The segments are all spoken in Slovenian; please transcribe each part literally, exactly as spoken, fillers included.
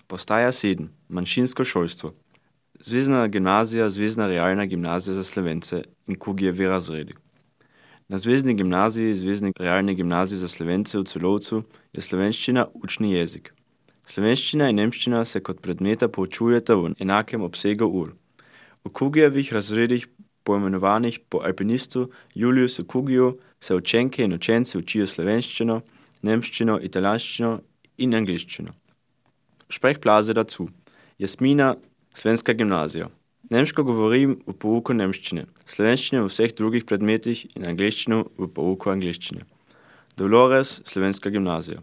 Postaja sedem. Manjšinsko šolstvo. Zvezna gimnazija, Zvezna realna gimnazija za Slovence in Kugijevi razredi. Na Zvezni gimnaziji, Zvezni realni gimnaziji za Slovence v Celovcu je slovenščina učni jezik. Slovenščina in nemščina se kot predmeta poučujeta v enakem obsegu ur. V Kugijevih razredih, poimenovanih po alpinistu Juliusu Kugiju, se učenke in učenci učijo slovenščino, nemščino, italijanščino in angleščino. Sprechblase dazu. Jasmina, Slovenska gimnazija. Nemško govorim v pouku nemščine, slovenščino v vseh drugih predmetih in angleščino v pouku angleščine. Dolores, Slovenska gimnazija.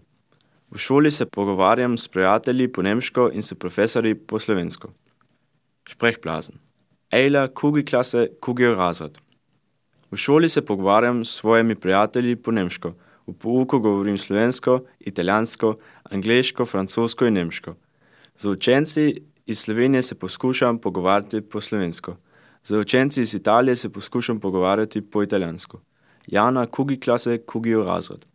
V šoli se pogovarjam s prijatelji po nemško in s profesorji po slovensko. Sprechblasen. Ejla, Kugi klase, Kugijev razred. V šoli se pogovarjam s svojimi prijatelji po nemško. V pouku govorim slovensko, italijansko, angleško, francosko in nemško. Z učenci iz Slovenije se poskušam pogovarjati po slovensko. Z učenci iz Italije se poskušam pogovarjati po italijansko. Jana, Kugi klase, Kugijev razred.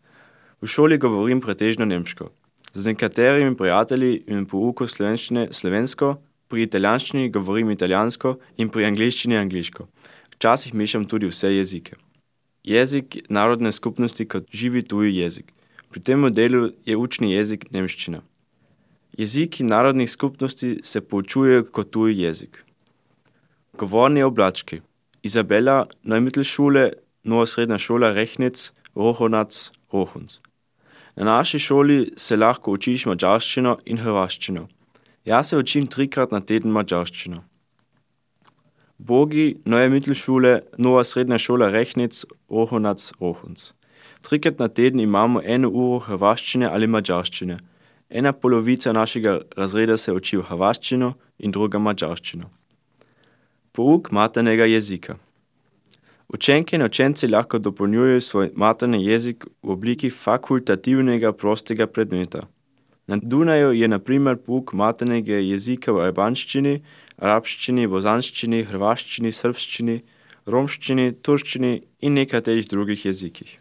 V šoli govorim pretežno nemško. Z nekaterimi prijatelji in pouku slovenščine slovensko, pri italijanščini govorim italijansko in pri angleščini angliško. Včasih mešam tudi vse jezike. Jezik narodne skupnosti kot živi tuji jezik. Pri tem modelu je učni jezik nemščina. Jeziki narodnih skupnosti se poučujejo kot tuji jezik. Govorni oblački. Izabela, Neumittelschule, Nova srednja šola Rechnitz, Rohonac, Rohunc. Na naši šoli se lahko učiš madžarščino in hrvaščino. Jaz se učim trikrat na teden madžarščino. Bogi, Neue Mittelschule, Nova srednja šola Rechnitz, Rohonac, Rohunc. Trikrat na teden imamo eno uro hrvaščine ali madžarščine. Ena polovica našega razreda se uči hrvaščino in druga madžarščino. Pouk maternega jezika. Učenke in učenci lahko dopolnjujejo svoj materni jezik v obliki fakultativnega prostega predmeta. Na Dunaju je na primer pouk maternega jezika v albanščini, arabščini, bozanščini, hrvaščini, srbščini, romščini, turščini in nekaterih drugih jezikih.